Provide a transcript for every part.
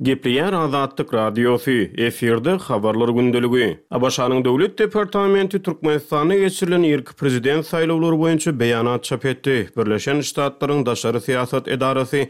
Gepleýär Azatlyk Radiosy, efirde Habarlar gündeligi. ABŞ-nyň Döwlet departamenti Türkmenistanda geçirilen irki prezident saýlawlary boýunça beýanat çap etdi. Birleşen Ştatlaryň daşary syýasat edarasy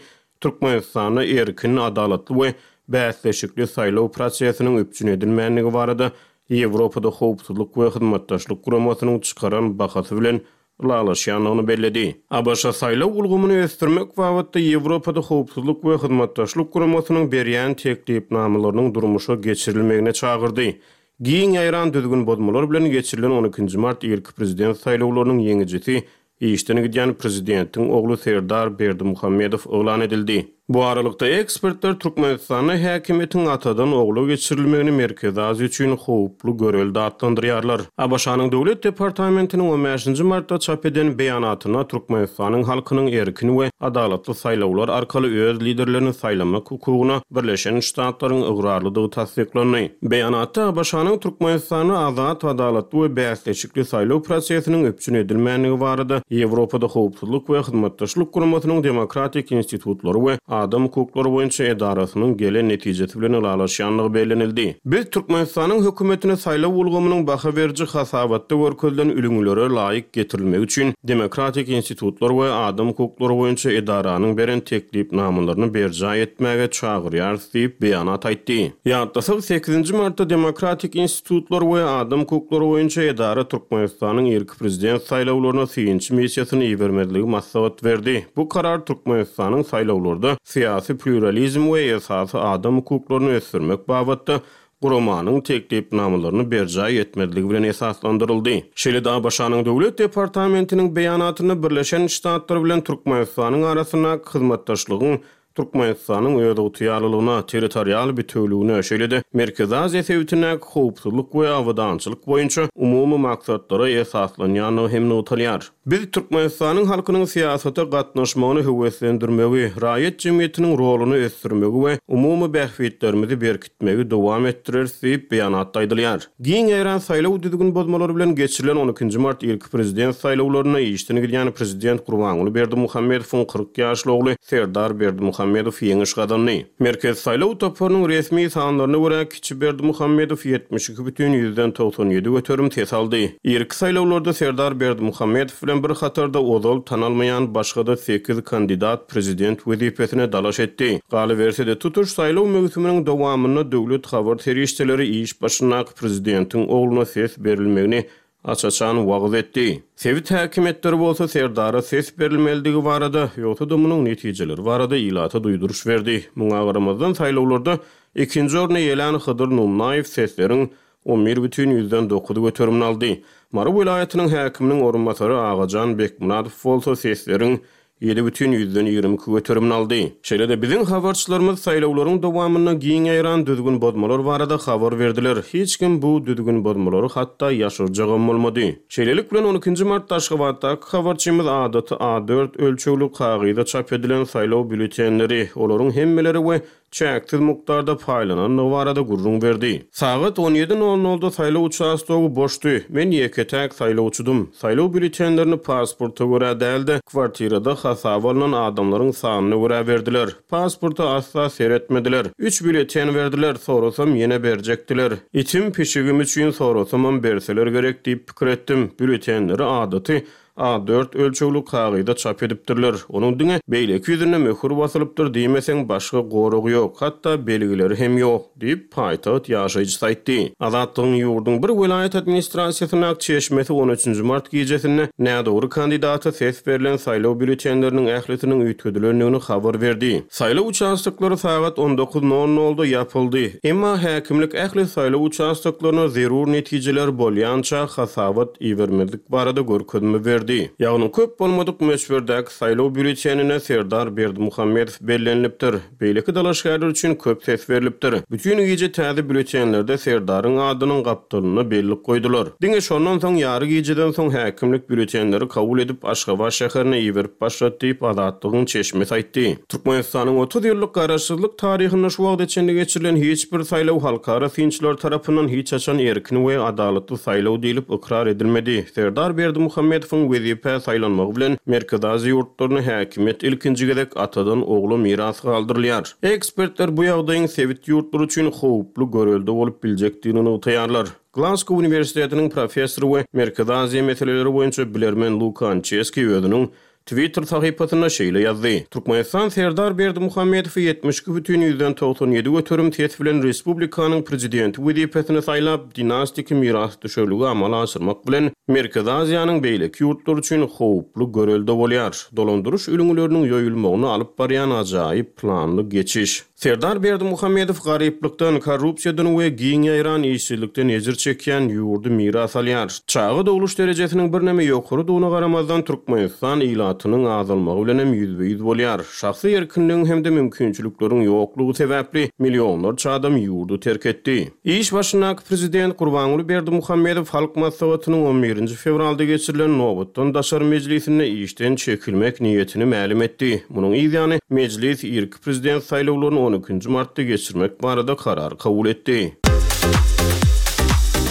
Türkmenistanda erkin, adalatly we bäsleşikli saýlaw prosesiniň üpjün edilmändigi barada Ýewropada Howpsuzlyk we Hyzmatdaşlyk Guramasynyň çykaran bahasy bilen ylalaşýandygyny belledi. ABŞ saýlaw ulgamyny ösdürmek babatda Ýewropada Howpsuzlyk we Hyzmatdaşlyk Guramasynyň berýän teklipnamalarynyň durmuşa geçirilmegine çagyrdy. Giň ýaýran düzgün bozmalar bilen geçirilen on ikinji mart irki prezident saýlawlarynyň ýeňijisi işden gidýän prezidentiň ogly Serdar Berdimuhamedow yglan edildi. Bu aralykda, ekspertler Türkmenistanda häkimiýetiň atadan ogla geçirilmegini Merkezi Aziýa üçin howply görelde atlandyrýarlar. ABŞ-nyň Döwlet departamentiniň on bäşinji martda çap eden beýanatynda Türkmenistanyň halkynyň erkin we adalatly saýlawlar arkaly öz liderlerini saýlamak hukugyna Birleşen Ştatlaryň ygrarlydygy tassyklandy. Beýanatda ABŞ-nyň Türkmenistanda azat, adalatly we bäsleşikli saýlaw prosesiniň üpjün edilmändigi barada Ýewropada Howpsuzlyk we Hyzmatdaşlyk Guramasynyň Demokratik institutlary we adam hukuklary boýunça edarasynyň gelen netijesi bilen ylalaşýandygy bellenildi. Biz Türkmenistanyň hökümetini saýlaw ulgamynyň baha beriji hasabatda görkezilen ülňülere laýyk getirilmegi üçin Demokratik institutlar we adam hukuklary boýunça edaranyň beren teklipnamalaryny berjaý etmäge çagyrýarys diýip, beýanat aýtdy. Ýatlasak, sekizinji martda Demokratik institutlar we adam hukuklary boýunça edara Türkmenistanyň irki prezident saýlawlaryna synçy missiýasyny ibermezligi maslahat berdi. Bu karar Türkmenistanyň saýlawlarda syýasy plýuralizm we esasy adam hukuklaryny ösdürmek babatda guramanyň teklipnamalaryny berjaý etmezligi bilen esaslandyryldy. Şeýle-de ABŞ-nyň Döwlet departamentiniň beýanatynda Birleşen Ştatlar bilen Türkmenistanyň arasyndaky hyzmatdaşlygyň Türkmenistanyň özygtyýarlylygyna, territorial bitewüligine, şeýle-de Merkezi Aziýa sebitindäki howpsuzlyk we abadançylyk boýunça umumy maksatlara esaslanýandygy hem nygtalýar. Biz Türkmenistanyň halkynyň syýasata gatnaşmagyny höweslendirmegi, raýat jemgyýetiniň roluny ösdürmegi we umumy bähbitlerimizi berkitmegi dowam etdireris diýip, beýanatda aýdylýar. Giň ýaýran saýlaw düzgün bozmalary bilen geçirilen on ikinji mart irki prezident saýlawlarynda işden gidýän prezident Gurbanguly Berdimuhamedowyň 40 ýaşly ogly Serdar Berdimuhamedow ýeňiş gazandy. Merkezi saýlaw toparynyň resmi sanlaryna görä, kiçi Berdimuhamedow 72,97% ses aldy. Irki saýlawlarda Serdar Berdimuhamedow bilen bir hatarda ozal tanalmaýan başga-da sekiz kandidat prezident wezipesine dalaş etdi. Galyberse-de, tutuş saýlaw möwsüminiň dowamynda döwlet habar serişdeleri iş başyndaky prezidentiň ogluna ses berilmegini aç-açan wagyz etdi. Sebit häkimiýetleri bolsa Serdara ses berilmelidigi barada, ýogsa-da munuň netijeleri barada ilata duýduryş berdi. Muňa garamazdan, saýlawlarda ikinji orny eýelän Hydyr Nunnaýew sesleriň 11,9 göterimini aldy. Mary welaýatynyň häkiminiň orunbasary Agajan Bekmyradow bolsa sesleriň 7,22 göterimini aldy. Şeýle-de biziň habarçylarymyz saýlawlaryň dowamynda giň ýaýran düzgün bozmalar barada habar berdiler. Hiç kim bu düzgün bozmalary hatda ýaşyrjagam bolmady. Şeýlelik bilen, on ikinji martda Aşgabatdaky habarçymyz adaty A dört ölçegli kagyza çap edilen saýlaw býulletenleri, olaryň hemmeleri we çäksiz mukdarda paýlanandygy barada gürrüň berdi. Sagat on ýedi nol nolda saýlaw uçastogy boşdy. Men ýeke-täk saýlawçydym. Saýlaw býulletenlerini pasporta görä däl-de, kwartirada hasaba alnan adamlaryň sanyna görä berdiler. Pasporta asla seretmediler. Üç býulleten berdiler, sorasam ýene berjekdiler. Itim, pişigim üçin sorasamam berseler gerek diýip pikir etdim. Býulletenleri adaty A dört ölçegli kagyza çap edipdirler. Onuň diňe beýleki ýüzünde möhür basylypdyr diýmeseň, başga goragy ýok, hatda belgileri hem ýok, diýip, paýtagt ýaşaýjysy aýtdy. Azatlygyň ýurduň bir welaýat administrasiýasyndaky çeşmesi on üçünji mart gijesinde nädogry kandidata ses berlen saýlaw býulletenleriniň ählisiniň üýtgedilendigini habar berdi. Saýlaw uçastoklary sagat on dokuz nol nolda ýapyldy. Emma häkimlik ähli saýlaw uçastoklaryna zerur netijeler bolýança hasabat ibermezlik barada görkezme berdi. Ýagny köp bolmadyk möçberdäki saýlaw býulletenine Serdar Berdimuhamedow bellenilipdir. Beýleki dalaşgärler üçin köp ses berlipdir. Bütin gije täze býulletenlerde Serdaryň adynyň gapdalynda bellik goýdular. Diňe şondan soň ýary gijeden soň häkimlik býulletenleri kabul edip Aşgabat şäherine iberip başlady diýip, Azatlygyň çeşmesi aýtdy. Türkmenistanyň 30 ýyllyk garaşsyzlyk taryhynda şu wagta çenli geçirilen hiç bir saýlaw halkara synçylary tarapyndan hiç haçan erkin we adalatly saýlaw diýlip ykrar edilmedi. Serdar Berdimuhamedowyň. wezipä saýlanmagy bilen Merkezi Aziýa ýurtlarynda häkimiýet ilkinji gezek atadan ogla miras galdyrylýar. Ekspertler bu ýagdaýyň sebit ýurtlary üçin howply görelde bolup biljekdigini nygtaýarlar. Glasgow uniwersitetiniň professory we Merkezi Aziýa meseleleri boýunça bilermen Luka Ançeski özüniň Twitter sahypasynda şeýle ýazdy, Türkmenistan Serdar Berdimuhamedowy 72,97% ses bilen respublikanyň prezidenti wezipesine saýlap, dinastiki mirasdüşerligi amala aşyrmak bilen, Merkezi Aziýanyň beýleki ýurtlary üçin howply görelde bolýar. Dolandyryş ülňüleriniň ýoýulmagyna alyp barýan ajaýyp planly geçiş. Serdar Berdimuhamedow garyplykdan, korrupsiýadan we giň ýaýran işsizlikden ejir çekýän ýurdy miras alýar. Çaga dogluş derejesiniň birneme ýokarydygyna garamazdan, Türkmenistan ilatynyň azalmagy bilen hem ýüzbe-ýüz bolýar. Şahsy erkinligiň hem-de mümkinçilikleriň ýoklugy sebäpli millionlarça adam ýurdy terk etdi. Iş başyndaky prezident Gurbanguly Berdimuhamedow Halk Maslahatynyň on birinji fewralda geçirilen nobatdan daşary mejlisinde işden çekilmek niýetini mälim etdi. Munuň yz ýany, mejlis irki prezident saýlawlaryny on ikinji martda geçirmek barada karar kabul etdi.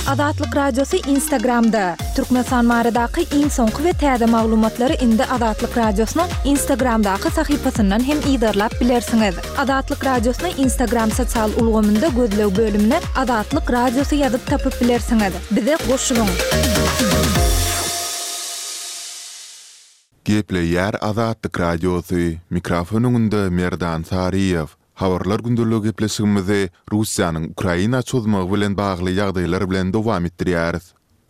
Azatlyk Radiosy Instagramda! Türkmenistan baradaky iň soňky we täze maglumatlary indi Azatlyk Radiosynyň Instagramdaky sahypasyndan hem yzarlap bilersiňiz. Azatlyk Radiosyny Instagram sosial ulgamynda gözleg bölümine Azatlyk Radiosy ýazyp tapyp bilersiňiz. Bize goşulyň! Gepleýär Azatlyk Radiosy, mikrofon öňünde Merdan Saryýew. Habarlar gündeligi gepleşigimizi Russiýanyň Ukraina çozmagy bilen bagly ýagdaýlar bilen dowam etdirýäris.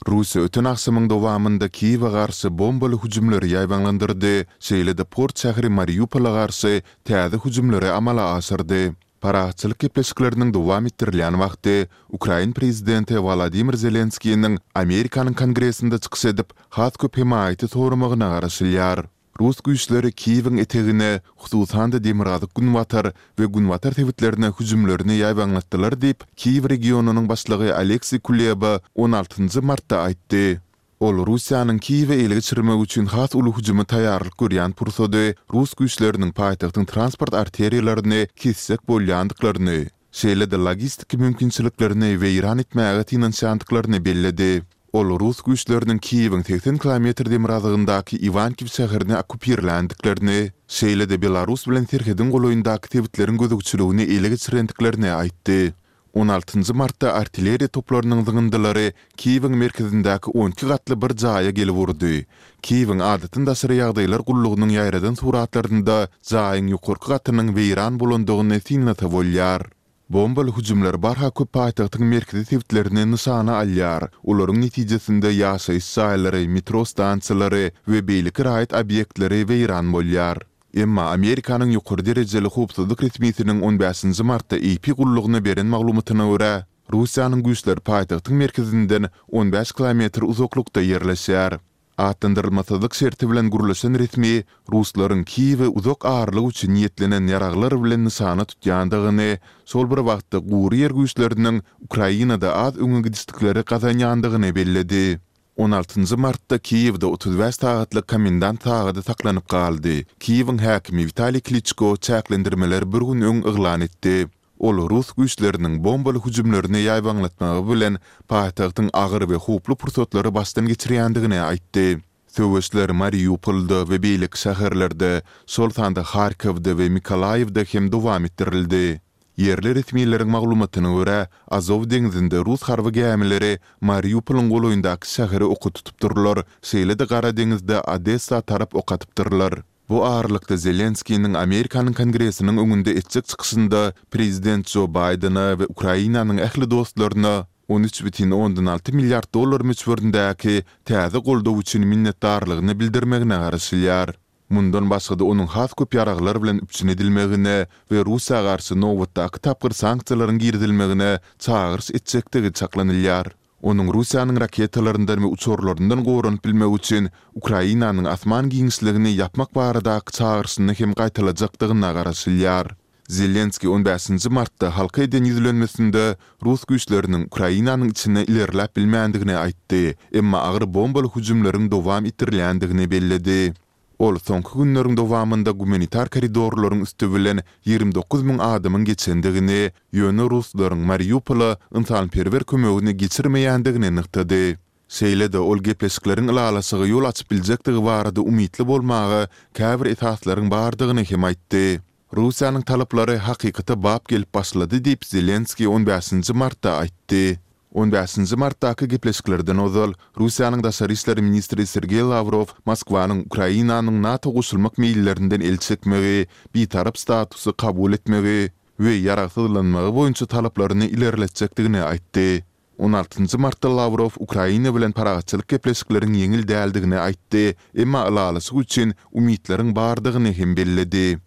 Russiýa öten agşamyň dowamynda Kiýewe garşy bombaly hüjümleri ýaýbaňlandyrdy, şeýle-de port şäheri Mariupola garşy täze hüjümleri amala aşyrdy. Parahatçylyk gepleşikleriniň dowam etdirilýän wagty, ukrain prezidenti Wolodymyr Zelenskiniň Amerikanyň Kongresinde çykyş edip, has köp hemaýaty soramagyna garaşylýar. Rus güýçleri Kiýewiň etegine, hususan-da demirgazyk-günbatar we günbatar sebitlerine hüjümlerini ýaýbaňlatdylar diýip, Kiýew regionynyň başlygy Oleksiý Kuleba on altynjy martda aýtdy. Ol Russiýanyň Kiýewi ele geçirmek üçin has uly hüjüme taýýarlyk görýän pursady rus güýçleriniň paýtagtyň transport arteriýalaryny kesjek bolýandyklaryny, şeýle-de logistiki mümkinçiliklerini weýran etmäge synanyşýandyklaryny belledi. Ol rus güýçleriniň Kiýewiň 80 kilometr demirgazygyndaky Iwankiw şäherini okkupirländiklerini, şeýle-de Belarus bilen serhediň golaýyndaky sebitleriň gözegçiligini ele geçirendiklerini aýtdy. On altynjy martda artilleriýa toplarynyň zyňyndylary Kiýewiň merkezindäki on iki gatly bir jaýa gelip urdy. Kiýewiň Adatdan daşary ýagdaýlar gullugynyň ýaýradan suratlarynda jaýyň ýokarky gatynyň weýran bolandygyny synlasa bolýar. Bombaly hüjümler barha köp paýtagtyň merkezi sebitlerini nyşana alýar. Olaryň netijesinde ýaşaýyş jaýlary, metro stansiýalary we beýleki raýat obýektleri weýran bolýar. Emma Amerikanyň ýokary derejeli howpsuzlyk resmisiniň on bäşinji martda AP gullugyna beren maglumatyna görä, Russiýanyň güýçleri paýtagtyň merkezinden on bäş kilometr uzaklykda ýerleşýär. Atlandyrylmasyzlyk şerti bilen gürleşen resmi ruslaryň Kiýewi uzak aralyk üçin niýetlenen ýaraglar bilen nyşana tutýandygyny, şol bir wagtda gury ýer güýçleriniň Ukrainada az öňe gidişlikleri gazanýandygyny belledi. On altynjy martda Kiýewde 35 sagatlyk komendant sagady saklanyp galdy. Kiýewiň häkimi Witaliý Kliçko çäklendirmeleri bir gün öň yglan etdi. Ol rus güýçleriniň bombaly hüjümlerini ýaýbaňlatmagy bilen paýtagtyň agyr we howply pursatlary başdan geçirýändigini aýtdy. Söweşler Mariupolda we beýleki şäherlerde, şol sanda Harkowda we Mykolaýiwde hem dowam etdirildi. Ýerli resmileriň maglumatyna görä, Azow deňzinde rus harby gämileri Mariupolyň golaýyndaky şäheri oka tutupdyrlar, şeýle-de Gara deňizde Odessa tarap ok atypdyrlar. Bu aralykda Zelenskiniň Amerikanyň Kongresiniň öňünde etjek çykyşynda prezident Jo Baýdene we Ukrainanyň ähli dostlaryna 13,6 milliard dollar möçberindäki täze goldaw üçin minnetdarlygyny bildirmegine garaşylýar. Mundan başga-da onuň has köp ýaraglar bilen üpjün edilmegine we Russiýa garşy nobatdaky tapgyr sanksiýalaryň girizilmegine çagyryş etjekdigi çaklanylýar. Onuň Russiýanyň raketalaryndan we uçarlaryndan goranyp bilmek üçin Ukrainanyň asman giňişligini ýapmak baradaky çagyryşyny hem gaýtalajakdygyna garaşylýar. Zelenskiý on bäşinji martda halka eden ýüzlenmesinde rus güýçleriniň Ukrainanyň içine ilerläp bilmändigini aýtdy, emma agyr bombaly hüjümleriň dowam etdirilýändigini belledi. Ol soňky günleriň dowamynda gumanitar koridorlaryň üsti bilen 29 müň adamyň geçendigini, ýöne ruslaryň Mariupola ynsanperwer kömegini geçirmeýändigini nygtady. Şeýle-de ol gepleşikleriň ylalaşyga ýol açyp biljekdigi barada umytly bolmaga käbir esaslaryň bardygyny hem aýtdy. Russiýanyň talaplary hakykata bap gelip başlady diýip, Zelenskiý on bäşinji martda aýtdy. On bäşinji martdaky gepleşiklerden ozal, Russiýanyň daşary işler ministri Sergeý Lawrow Moskwanyň Ukrainanyň NATO goşulmak meýillerinden el çekmegi, bitarap statusy kabul etmegi we ýaragsyzlanmagy boýunça talaplaryny ilerletjekdigini aýtdy. On altynjy martda Lawrow Ukraina bilen parahatçylyk gepleşikleriň ýeňil däldigini aýtdy, emma ylalaşyk üçin umytlaryň bardygyny hem belledi.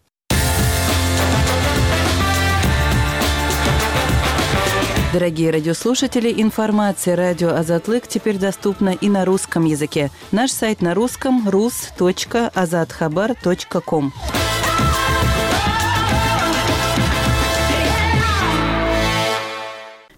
Дорогие радиослушатели, информация радио Азатлык теперь доступна и на русском языке. Наш сайт на русском rus.azathabar.com.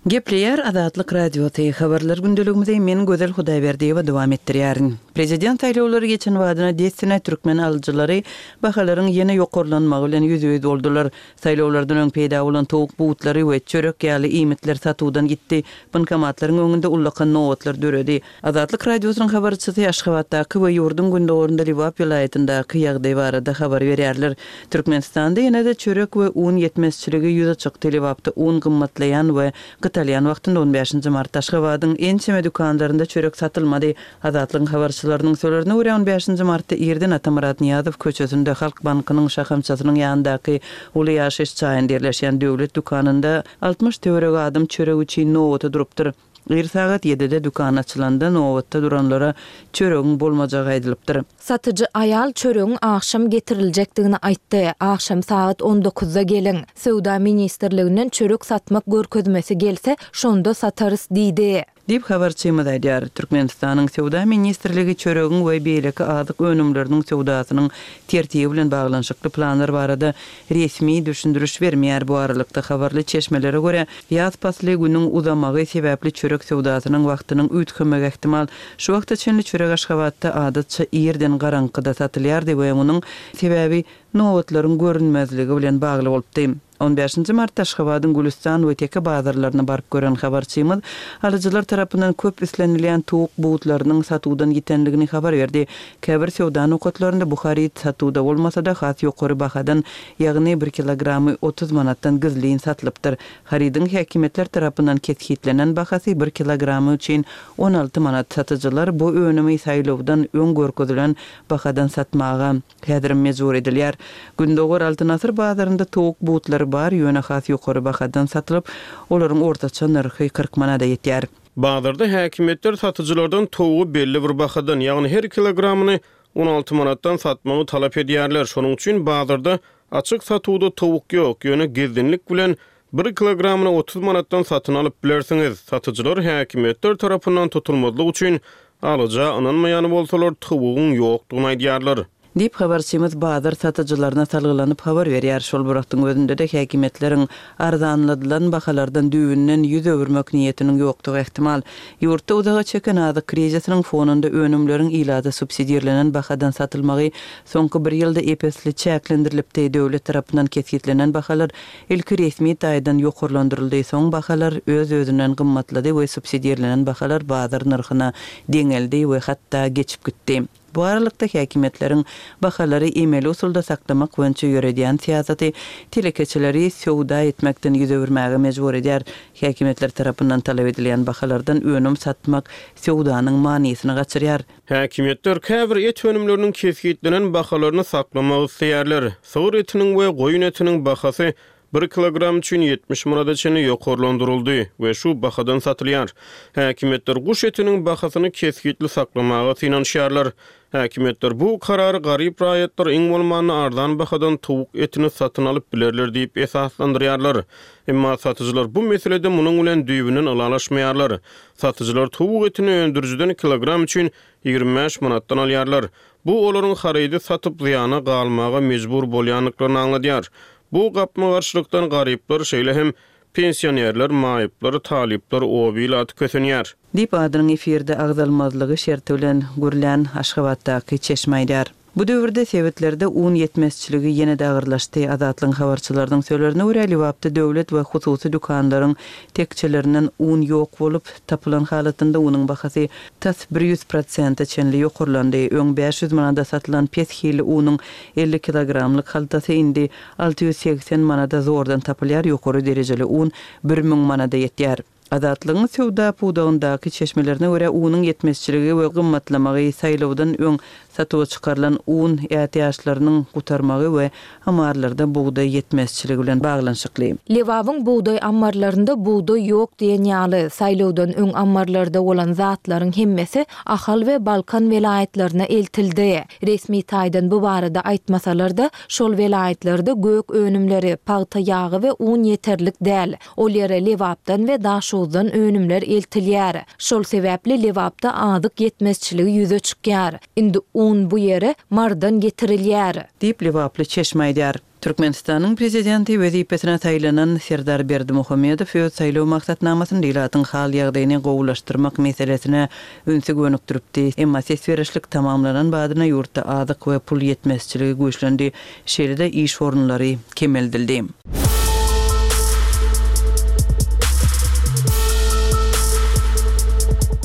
Gepleýär Azatlyk Radiosy, Habarlar gündeligimizi men Gözel Hudaýberdiýewa dowam etdirýärin. Prezident saýlawlary geçen badyna dessine türkmen alyjylary bahalaryň ýene ýokarlanmagy bilen ýüzbe-ýüz boldular. Saýlawlardan öň peýda bolan towuk butlary we çörek ýaly iýmitler satuwdan gitdi, bankomatlaryň öňünde ullakan nobatlar döredi. Azatlyk Radiosynyň habarçysy Aşgabatdaky we ýurduň gündogarynda Lebap welaýatyndaky ýagdaý barada habar berýärler. Türkmenistanda ýene-de çörek we un ýetmezçiligi ýüze çykdy. Lebapda un gymmatlaýan we gytalýan wagtynda on bäşinji martda Aşgabadyň ençeme dükanlarynda çörek satylmady. Azatlygyň habarçylarynyň sözlerine görä, on bäşinji martda irden Atamyrat Nyýazow köçesinde Halk bankynyň şahamçasynyň ýanyndaky uly ýaşaýyş jaýynda ýerleşýän döwlet dükanynda 60 töweregi adam çörek üçin nobata durupdyr. Ir sagat ýedide dükan açylanda nobatda duranlara çöregiň bolmajagy aýdylypdyr. Satyjy aýal çöregiň agşam getiriljekdigini aýtdy. Agşam sagat on dokuzda geliň. Söwda ministrliginden çörek satmak görkezmesi gelse, şonda satarys diýdi. Diýip, habarçymyz aýdýar. Türkmenistanyň Söwda ministrligi çöregiň we beýleki azyk önümleriniň söwdasynyň tertibi bilen baglanyşykly planlar barada resmi düşündiriş bermeýär. Bu aralykda, habarly çeşmelere görä, ýaz pasly günüň uzamagy sebäpli çörek söwdasynyň wagtynyň üýtgemegi ähtimal. Şu wagta çenli çörek Aşgabatda adatça irden garaňkyda satylýardy we munuň sebäbi nobatlaryň görünmezligi bilen bagly bolupdy. On bäşinji martda Aşgabadyň Gülüstan we Teke bazarlaryna baryp gören habarçymyz alyjylar tarapyndan köp islenilýän towuk butlarynyň satuwdan ýitenligini habar berdi. Käbir söwda nokatlarynda bu haryt satuwda bolmasa-da, has ýokary bahadan, ýagny bir kilogramy 30 manatdan gizlin satylypdyr. Harydyň häkimiýetler tarapyndan kesgitlenen bahasy bir kilogramy üçin 16 manat. Satyjylar bu önümi saýlawdan öň görkezilen bahadan satmaga häzirem mejbur edilýär. Gündogar Altyn asyr bazarynda towuk butlary bar, ýöne has ýokary bahadan satylyp, olaryň ortaça nyrhy 40 manada ýetýär. Bazarda häkimiýetler satyjylardan towugy belli bir bahadan, ýagny her kilogramyny 16 manatdan satmagy talap edýärler. Şonuň üçin bazarda açyk satuwda towuk ýok, ýöne gizlinlik bilen bir kilogramyny 30 manatdan satyn alyp bilersiňiz. Satyjylar häkimiýetler tarapyndan tutulmazlyk üçin alyja ynanmaýan bolsalar, towugyň ýokdugyny aýdýarlar. Diýip, habarçymyz bazar satyjylaryna salgylanyp habar berýär. Şol bir wagtyň özünde-de häkimiýetleriň arzanladylan bahalardan düýbünden ýüz öwürmek niýetiniň ýokdugy ähtimal. Ýurtda uzaga çeken azyk krizisiniň fonunda önümleriň ilata subsidirlenen bahadan satylmagy soňky bir ýylda ep-esli çäklendirilipdi. Döwlet tarapyndan kesgitlenen bahalar ilki resmi taýdan ýokarlandyryldy, soň bahalar öz-özünden gymmatlady we subsidirlenen bahalar bazar nyrhyna deňeldi we hatda geçip gitdi. Bu aralykda, häkimiýetleriň bahalary emeli usulda saklamak boýunça ýöredýän syýasaty telekeçileri söwda etmekden ýüz öwürmäge mejbur edýär. Häkimiýetler tarapyndan talap edilýän bahalardan önüm satmak söwdanyň manysyny gaçyrýar. Häkimiýetler käbir et önümleriniň kesgitlenen bahalaryny saklamak isleýärler. Sygyr etiniň we goýun etiniň bahasy Bir kilogram üçin 70 manada çenli ýokarlandyryldy we şu bahadan satylýar. Häkimiýetler guş etiniň bahasyny kesgitli saklamaga synanyşýarlar. Häkimiýetler bu karary garyp raýatlar iň bolmanda arzan bahadan towuk etini satyn alyp bilerler diýip esaslandyrýarlar. Emma satyjylar bu meselede munuň bilen düýbünden ylalaşmaýarlar. Satyjylar towuk etini öndürijiden kilogram üçin 25 manatdan alýarlar. Bu olaryň harydy satyp zyýana galmaga mejbur bolýandyklaryny aňladýar. Bu gapma-garşylykdan garyplar, şeýle hem pensionerler, maýyplar, talyplar, oba ilaty kösenýär. Diýip, adynyň efirde agzalmazlygy şerti bilen gürlän Aşgabatdaky çeşme aýdýar. Bu döwürde sebitlerde un ýetmezçiligi ýene-de agyrlaşdy. Azatlygyň habarçylarynyň sözlerine görä, Lebapda döwlet we hususy dükanlaryň tekjelerinden un ýok bolup, tapylan halatynda unuň bahasy tas 100 prosente çenli ýokarlandy. Öň 500 manada satylan pes hilli unuň 50 kilogramlyk haltasy indi 680 manada zordan tapylýar, ýokary derejeli un 1000 manada ýetýär. Azatlygyň söwda pudagyndaky çeşmelerine görä, unuň ýetmezçiligi we gymmatlamagy saýlawdan öň satuwa çykarylan un ätiýaçlarynyň gutarmagy we ammarlarda bugdaý ýetmezçiligi bilen baglanyşykly. Lebabyň bugdaý ammarlarynda bugdaý ýok diýen ýaly, saýlawdan öň ammarlarda bolan zatlaryň hemmesi Ahal we Balkan welaýatlaryna eltildi. Resmi taýdan bu barada aýtmasalar-da, şol welaýatlarda gök önümleri, pagta ýagy we un ýeterlik däl. Ol ýere Lebapdan we Daşoguzdan önümler eltilýär. Şol sebäpli Lebapda azyk ýetmezçiligi ýüze çykýar. Indi un bu ýere Marydan getirilýär. Diýip, lebaply çeşme aýdýar. Türkmenistanyň Prezidenti wezipesine saýlanan Serdar Berdimuhamedow öz saýlaw maksatnamasynda ilatyň hal-ýagdaýyny gowulaşdyrmak meselesine ünsi gönükdiripdi. Emma ses berişlik tamamlanan badyna ýurtda azyk we pul ýetmezçiligi güýçlendi. Şeýle-de iş orunlary kemeldildi.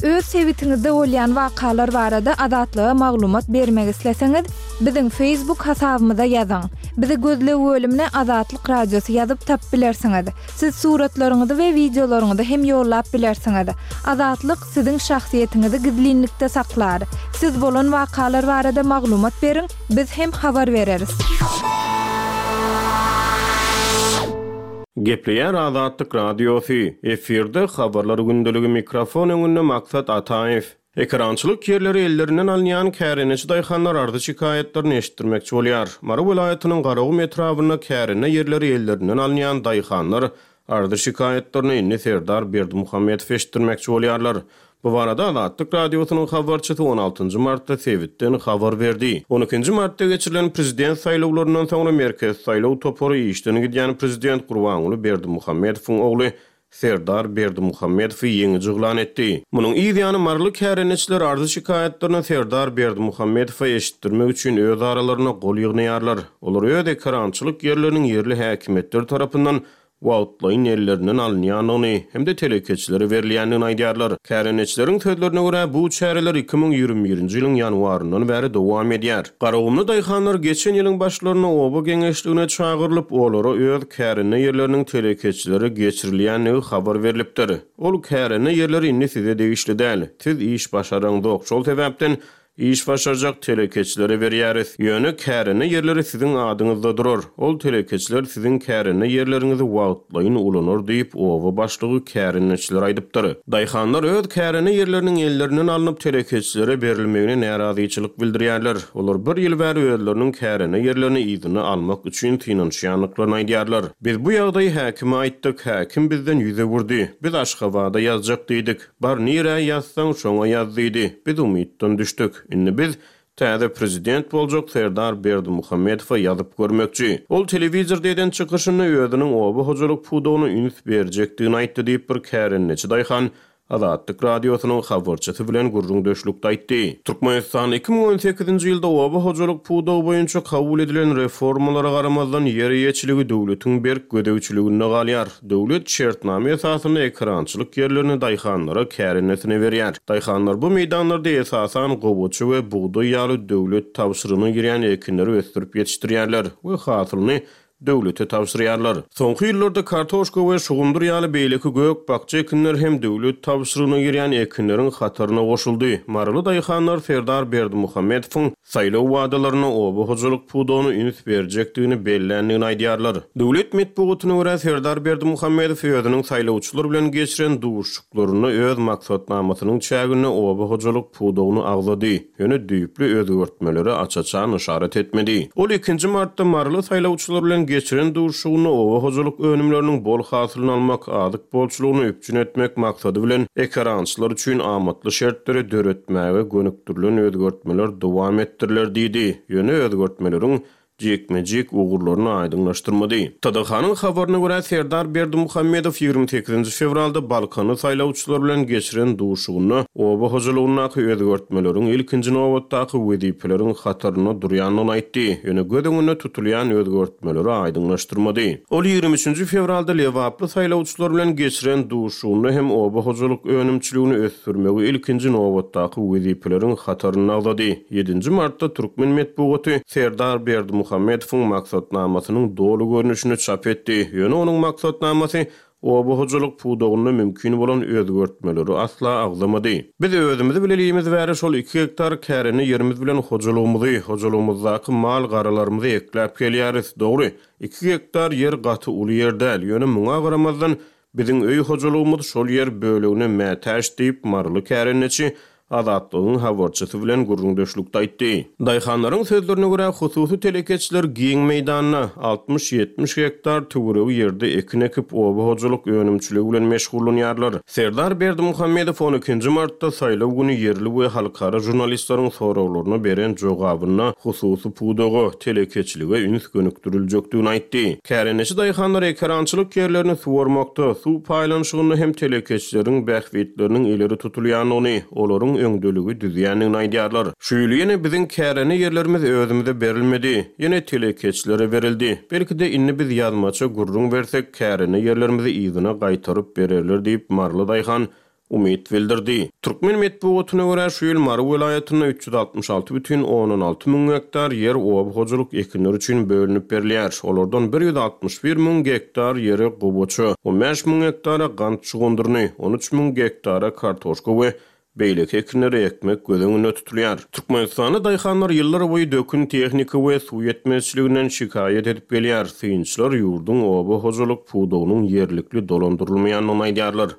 Öz sebitiňizde bolýan wakalar barada Azatlyga maglumat bermek isleseňiz, biziň Facebook hasabymyza ýazyň. Bizi gözleg bölümine Azatlyk Radiosy ýazyp tapyp bilersiňiz. Siz suratlaryňyzy we wideolaryňyzy hem ýollap bilersiňiz. Azatlyk siziň şahsyýetiňizi gizlinlikde saklar. Siz bolan wakalar barada maglumat beriň, biz hem habar bereris. Gepleýär Azatlyk Radiosy, efirde Habarlar gündeligi mikrofon öňünde Maksat Ataýew. Ekerançylyk ýerleri ellerinden alynýan kärendeçi daýhanlar arzy-şikaýatlaryny eşitdirmekçi bolýar. Mary welaýatynyň Garagum etrabynda kärende ýerleri ellerinden alynýan daýhanlar arzy-şikaýatlaryny indi Serdar Berdimuhamedow eşitdirmekçi bolýarlar. Bu barada Azatlyk Radiosynyň habarçysy on altynjy martda sebitden habar berdi. On ikinji martda geçirilen prezident saýlawlaryndan soňra Merkezi saýlaw topary işden gidýän prezident Gurbanguly Berdimuhamedowyň ogly Serdar Berdimuhamedowy ýeňiji yglan etdi. Munuň yz ýany maryly kärendeçiler arzy-şikaýatlaryny Serdar Berdimuhamedowa eşitdirmek üçin öz aralarynda gol ýygnaýarlar. Olar öz ekerançylyk ýerleriniň ýerli häkimiýetler tarapyndan wagtlaýyn ellerinden alynýandygyny hem-de telekeçilere berilýändigini aýdýarlar. Kärendeçileriň sözlerine görä, bu çäreler 2021-nji ýylyň ýanwaryndan bäri dowam edýär. Garagumly daýhanlar geçen ýylyň başlarynda oba geňeşligine çagyrylyp, olara öz kärende ýerleriniň telekeçilere geçirilýändigi habar berlipdir. Ol kärende ýerleri indi size degişli däl. Siz iş başaraňzok, şol sebäpden Iş başarjak telekeçilere berýäris. Ýöne kärende ýerleri siziň adyňyzda durar. Ol telekeçiler siziň kärende ýerleriňizi wagtlaýyn ulanar diýip, oba başlygy kärendeçilere aýdypdyr. Daýhanlar öz kärende ýerleriniň ellerinden alnyp telekeçilere berilmegine närazyçylyk bildirýärler. Olar bir ýyl bäri özleriniň kärende ýerlerini yzyna almak üçin synanyşýandyklaryny aýdýarlar. Biz bu ýagdaýy häkime aýtdyk, häkim bizden ýüz öwürdi. Biz Aşgabada ýazjak diýdik. Bar nirä ýazsaň şoňa ýaz diýdi. Biz umytdan düşdük. Indi biz täze prezident boljak Serdar Berdimuhamedowa ýazyp görmekçi. Ol telewizorda eden çykyşynda özüniň oba hojalyk pudagyna üns berjekdigini aýtdy diýip bir kärendeçi daýhan Azatlyk Radiosynyň habarçysy bilen gürrüňdeşlikde aýtdy. Türkmenistanda 2018-nji ýylda oba hojalyk pudagy boýunça kabul edilen reformalara garamazdan ýer eýeçiligi döwletiň berk gözegçiliginde galýar. Döwlet şertnama esasynda ekerançylyk ýerlerini daýhanlara kärendesinä berýär. Daýhanlar bu meýdanlarda esasan gowaça we bugdaý ýaly döwlet tabşyrygyna girýän ekinleri ösdürip ýetişdirýärler we hasylyny döwlete tabşyrýarlar. Soňky ýyllarda kartoşka we şugundyr ýaly beýleki gök-bakja ekinler hem döwlet tabşyrygyna girýän ekinleriň hataryna goşuldy. Maryly daýhanlar Serdar Berdimuhamedowyň Saýlaw wadalarynda oba hojalyk pudagyna üns berjekdigini belländigini aýdýarlar. Döwlet metbugatyna görä, Serdar Berdimuhamedow özüniň saýlawçylar bilen geçiren duşuşyklarynda öz maksatnamasynyň çäginde oba hojalyk pudagyny agzady, ýöne düýpli özgertmelere aç-açan yşarat etmedi. Ol ikinji martda maryly saýlawçylar bilen geçiren duşuşygynda oba hojalyk önümleriniň bol hasylyny almak, azyk bolçulygyny üpjün etmek maksady bilen ekerançylar üçin amatly şertleri döretmäge gönükdirilen özgertmeler dowam etdiriler diýdi. Ýöne özgertmeleriň jikme-jik ugurlaryny aýdyňlaşdyrmady. TDH-nyň habaryna görä, Serdar Berdimuhamedow 28 fewralda balkanly saýlawçylar bilen geçiren duşugynda oba hojalygyndaky özgertmeleriň ilkinji nobatdaky wezipeleriň hatarynda durýandygyny aýtdy, ýöne göz öňünde tutulýan özgertmeleri aýdyňlaşdyrmady. Ol 23 fewralda lebaply saýlawçylar bilen geçiren duşuşygynda hem oba hojalyk önümçiligini ösdürmegi ilkinji nobatdaky wezipeleriň hatarynda agzady. Ýedinji martda türkmen metbugaty Serdar Berdimuhamedowyň maksatnamasynyň doly görnüşini çap etdi. Ýöne onuň maksatnamasy oba hojalyk pudagynda mümkin bolan özgertmeleri asla agzamady. Biz özümizi bilelimiz bäri şol iki gektar kärende ýerimiz bilen hojalygymyzy, hojalygymyzdaky mal-garalarymyzy ekläp gelýäris. Dogry, iki gektar ýer gaty uly ýer däl, ýöne muňa garamazdan, biziň öý hojalygymyz şol ýer bölegine mätäç diýip, maryly kärendeçi Azatlygyň habarçysy bilen gürrüňdeşlikde aýtdy. Daýhanlaryň sözlerine görä, hususy telekeçiler giň meýdanda, 60-70 gektar töweregi ýerde ekin ekip, oba hojalyk önümçiligi bilen meşgullanýarlar. Serdar Berdimuhamedow on ikinji martda saýlaw güni ýerli we halkara žurnalistleriň soraglaryna beren jogabynda hususy pudaga, telekeçilige üns gönükdiriljekdigini aýtdy. Kärendeçi daýhanlar ekerançylyk ýerlerini suwarmakda, suw paýlanyşygynda hem telekeçileriň bähbitleriniň ileri tutulýandygyny, olaryň öňdeligi düzýändigini aýdýarlar. Şu ýyl ýene biziň kärende ýerlerimiz özümize berilmedi, ýene telekeçilere berildi. Belki-de indi biz ýazmaça gürrüň bersek, kärende ýerlerimizi yzyna gaýtaryp bererler diýip, maryly daýhan umyt bildirdi. Türkmen metbugatyna görä, şu ýyl Mary welaýatynda 366 bütin ondan alty müň gektar ýer oba hojalyk ekinleri üçin bölünip berilýär. Olardan 161 müň gektar ýere gowaça, 15 müň gektara gant şugundyryny, 13 müň gektara kartoşka we beýleki ekinleri ekmek göz öňünde tutulýar. Türkmenistanda daýhanlar ýyllar boýy dökün, tehnika we suw ýetmezçiliginden şikaýat edip gelýär. Synçylar ýurduň oba hojalyk pudagynyň ýerlikli dolandyrylmaýandygyny aýdýarlar.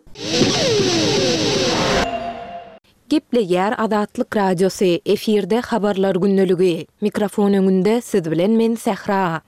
Gepleýär Azatlyk Radiosy, efirde Habarlar gündeligi. Mikrofon öňünde siz bilen men Sähra.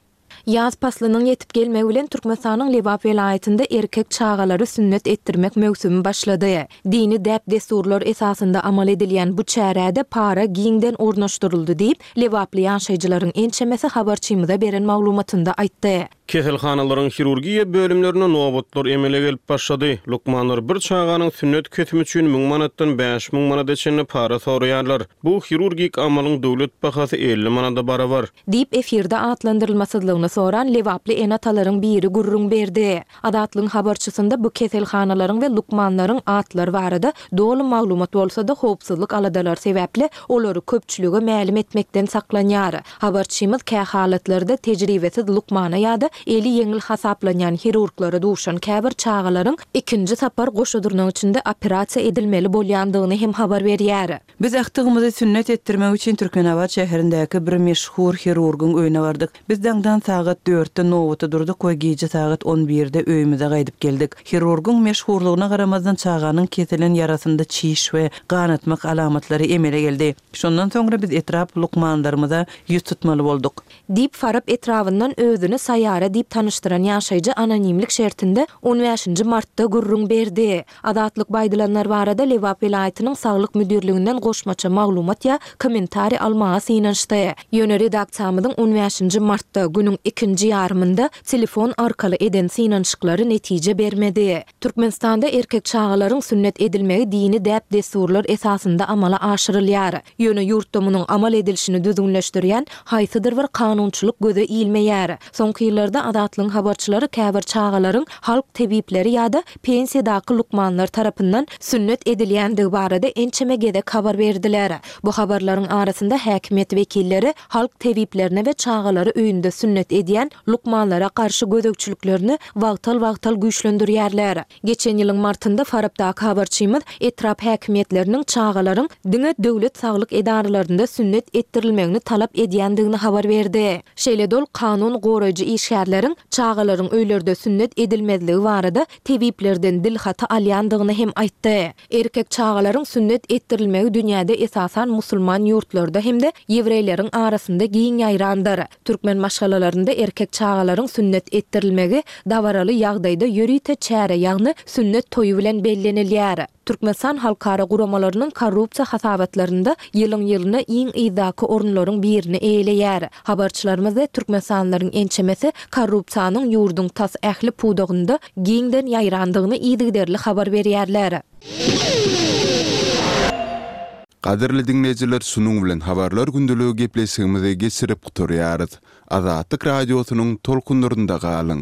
Ýaz paslynyň ýetip gelmegi bilen Türkmenistanyň Lebap welaýatynda erkek çagalary sünnet etdirmek möwsümi başlady. Dini däp-dessurlar esasynda amal edilýän bu çärä-de para giňden ornaşdyryldy diýip, lebaply ýaşaýjylaryň ençemesi habarçymyza beren maglumatynda aýtdy. Keselhanalaryň hirurgiýa bölümlerinde nobatlar emele gelip başlady. Lukmanlar bir çaganyň sünnet kesimi üçin müň manatdan 5000 manada çenli para soraýarlar. Bu hirurgik amalyň döwlet bahasy 50 manada barabar. Diýip, efirde atlandyrylmasyzlygyny soran lebaply ene-atalaryň biri gürrüň berdi. Azatlygyň habarçysynda bu keselhanalaryň we lukmanlaryň atlary barada doly maglumat bolsa-da, howpsuzlyk aladalary sebäpli olary köpçülige mälim etmekden saklanýar. Habarçymyz kähalatlarda tejribesiz lukmana ýa-da eli ýeňil hasaplanýan hirurglara duşan käbir çagalaryň ikinji sapar goşa dyrnak içinde operasiýa edilmeli bolýandygyny hem habar berýär. Biz agtygymyzy sünnet etdirmek üçin Türkmenabat şäherindäki bir meşhur hirurgyň öýüne bardyk. Biz daňdan sagat dörtde nobata durduk we gije sagat on birde öýümize gaýdyp geldik. Hirurgyň meşhurlygyna garamazdan çaganyň kesilen ýarasynda çiş we ganatmak alamatlary emele geldi. Şondan soňra biz etrap lukmanlarymyza ýüz tutmaly bolduk. Diýip, Farap etrabyndan özüni Saýara diýip tanyşdyran ýaşaýjy anonimlik şertinde on bäşinji martda gürrüň berdi. Azatlyk bu aýdylanlar barada Lebap welaýatynyň Saglyk müdirliginden goşmaça maglumat ýa kommentariý almaga synanyşdy. Ýöne redaksiýamyzyň on bäşinji martda, günüň ikinji ýarymynda telefon arkaly eden synanyşyklary netije bermedi. Türkmenistanda erkek çagalaryň sünnet edilmegi dini däp-dessurlar esasynda amala aşyrylýar. Ýöne ýurtda munuň amal edilişini düzgünleşdirýän haýsydyr bir kanunçylyk göze ilmeýär. Soňky ýyllarda Azatlygyň habarçylary käbir çagalaryň halk tebipleri ýa-da pensiýadaky lukmanlar tarapyndan sünnet edilýändigi barada ençeme gezek habar berdiler. Bu habarlaryň arasynda häkimiýet wekilleri halk tebiplerine we çagalary öýünde sünnet edýän lukmanlara garşy gözegçiliklerini wagtal-wagtal güýçlendirýärler. Geçen ýylyň martynda Farapdaky habarçymyz etrap häkimiýetleriniň çagalaryň diňe döwlet saglyk edaralarynda sünnet etdirilmegini talap edýändigini habar berdi. Şeýle-de ol kanun goraýjy işgärleriň çagalaryň öýlerde sünnet edilmezligi barada tebiplerden dilhaty alýandygyny hem aýtdy. Erkek çagalaryň sünnet etdirilmegi dünýäde esasan musulman ýurtlarda hem-de ýewreýleriň arasynda giň ýaýrandyr. Türkmen maşgalalarynda erkek çagalaryň sünnet etdirilmegi dabaraly ýagdaýda ýörite çäre, ýagny sünnet toýy bilen bellenilýär. Türkmenistan halkara guramalarynyň korrupsiýa hasabatlarynda ýylyň-ýylyna iň yzdaky orunlaryň birini eýeleýär. Habarçylarymyz we türkmenistanlylaryň ençemesi korrupsiýanyň ýurduň tas ähli pudagynda giňden ýaýrandygyny yzygiderli habar berýärler. Gadyrly diňleýjiler şunuň bilen Habarlar gündeligi gepleşigimizi geçirip gutarýarys. Azatlyk Radiosynyň tolkunlarynda galyň!